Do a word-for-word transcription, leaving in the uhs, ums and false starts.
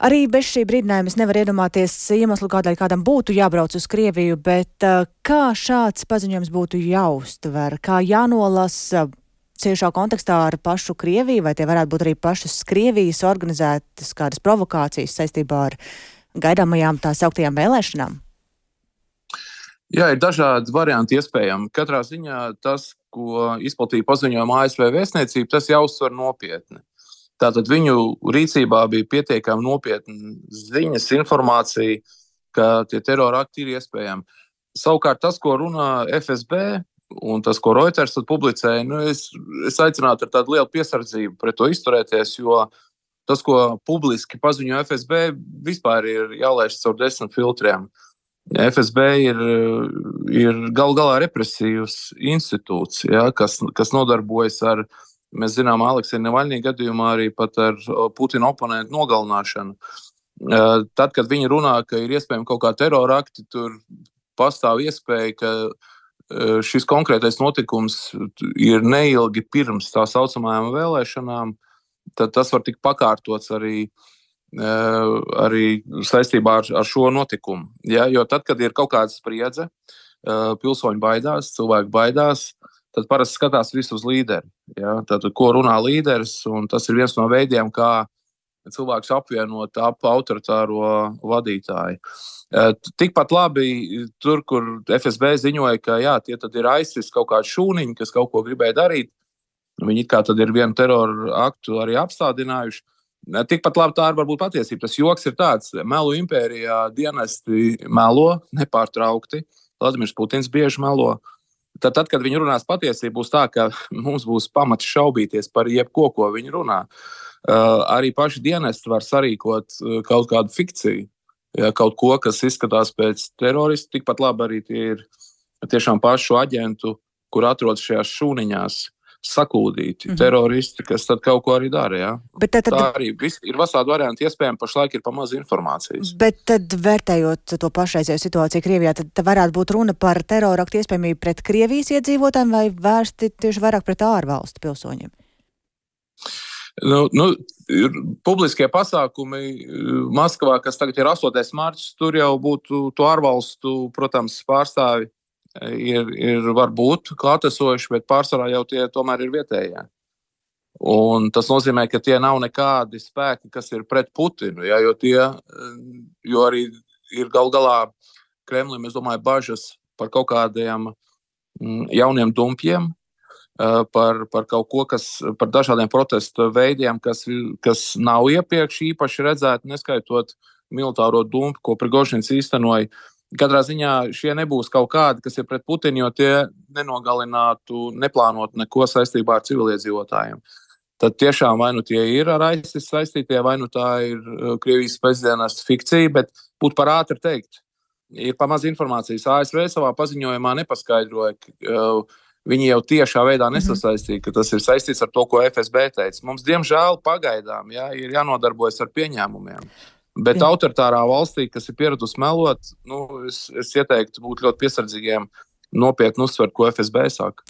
Arī bez šī brīdinājuma es nevaru iedomāties iemeslu, kādēļ kādam būtu jābrauc uz Krieviju, bet uh, kā šāds paziņojums būtu jāuztver, kā jānolasa ciešā kontekstā ar pašu Krieviju, vai tie varētu būt arī pašas Krievijas organizētas kādas provokācijas saistībā ar gaidāmajām tā sauktajām vēlēšanām? Jā, ir dažādi varianti iespējami. Katrā ziņā tas, ko izplatīja paziņojuma A S V vēstniecība, tas jāuztver nopietni. Tātad viņu rīcībā bija pietiekami nopietna ziņas, informācija, ka tie terorakti ir iespējami. Savukārt tas, ko runā F S B un tas, ko Reuters publicēja, nu es, es aicinātu ar tādu lielu piesardzību pret to izturēties, jo tas, ko publiski paziņo F S B, vispār ir jālaiž caur desmit filtriem. F S B ir, ir gal galā represīvs institūts, ja, kas, kas nodarbojas ar, mēs zinām, Aleksija Navaļņī gadījumā arī pat ar Putina oponentu nogalināšanu. Tad, kad viņi runā, ka ir iespējami kaut kā terorakti, tur pastāv iespēja, ka šis konkrētais notikums ir neilgi pirms tā saucamajām vēlēšanām, tad tas var tikt pakārtots arī arī saistībā ar, ar šo notikumu. Ja, jo tad, kad ir kaut kāda spriedze, pilsoņi baidās, cilvēki baidās, tad parasti skatās visu uz līderi. Ja, tad, ko runā līderis, un tas ir viens no veidiem, kā cilvēks apvienot ap autoritāro vadītāju. Tikpat labi tur, kur F S B ziņoja, ka jā, tie tad ir ISIS kaut kādi šūniņi, kas kaut ko gribēja darīt, viņi it kā tad ir vienu teroru aktu arī apstādinājuši. Tikpat labi tā ir varbūt patiesība. Tas joks ir tāds, melu impērijā dienesti melo nepārtraukti, Vladimirs Putins bieži melo. Tad, tad, kad viņi runās patiesību, būs tā, ka mums būs pamats šaubīties par jebko, ko viņi runā. Uh, arī paši dienesti var sarīkot uh, kaut kādu fikciju, ja, kaut ko, kas izskatās pēc teroristu, tikpat labi arī tie ir tiešām pašu aģentu, kur atrodas šajās šūniņās, sakūdīti mm-hmm. teroristi, kas tad kaut ko arī dara. Ja? Bet tad, tad... Tā arī vis, ir vasādi varianti iespējami, pašlaik ir pamaz informācijas. Bet tad, vērtējot to pašreizējo situāciju Krievijā, tad, tad varētu būt runa par teroraktu iespējamību pret Krievijas iedzīvotājiem vai vērsti tieši vairāk pret ārvalstu pilsoņiem? Nu, nu, publiskie pasākumi Maskavā, kas tagad ir astotais marts, tur jau būtu to ārvalstu, protams, pārstāvi. Ir, ir varbūt klātesoši, bet pārsvarā jau tie tomēr ir vietējie. Un tas nozīmē, ka tie nav nekādi spēki, kas ir pret Putinu, ja, jo tie, jo arī ir gal galā Kremlim, es domāju, bažas par kaut kādiem jauniem dumpjiem, par, par kaut ko, kas, par dažādiem protestu veidiem, kas, kas nav iepriekš īpaši redzēti, neskaitot militāro dumpu, ko Prigožins īstenoja. Katrā ziņā šie nebūs kaut kādi, kas ir pret Putinu, jo tie nenogalinātu, neplānotu neko saistībā ar civiliedzīvotājiem. Tad tiešām vai nu tie ir ar ISIS saistītie, vai nu tā ir Krievijas spēcdienestu fikcija, bet būtu par ātri teikt. Ir pamaz informācijas. A S V savā paziņojumā nepaskaidroja, ka viņi jau tiešā veidā nesasaistīja, ka tas ir saistīts ar to, ko F S B teica. Mums, diemžēl, pagaidām jā, ir jānodarbojas ar pieņēmumiem. Bet Jā. autoritārā valstī, kas ir pieradusi melot, nu, es, es ieteiktu būt ļoti piesardzīgiem, nopietni uzsvert, ko F S B saka.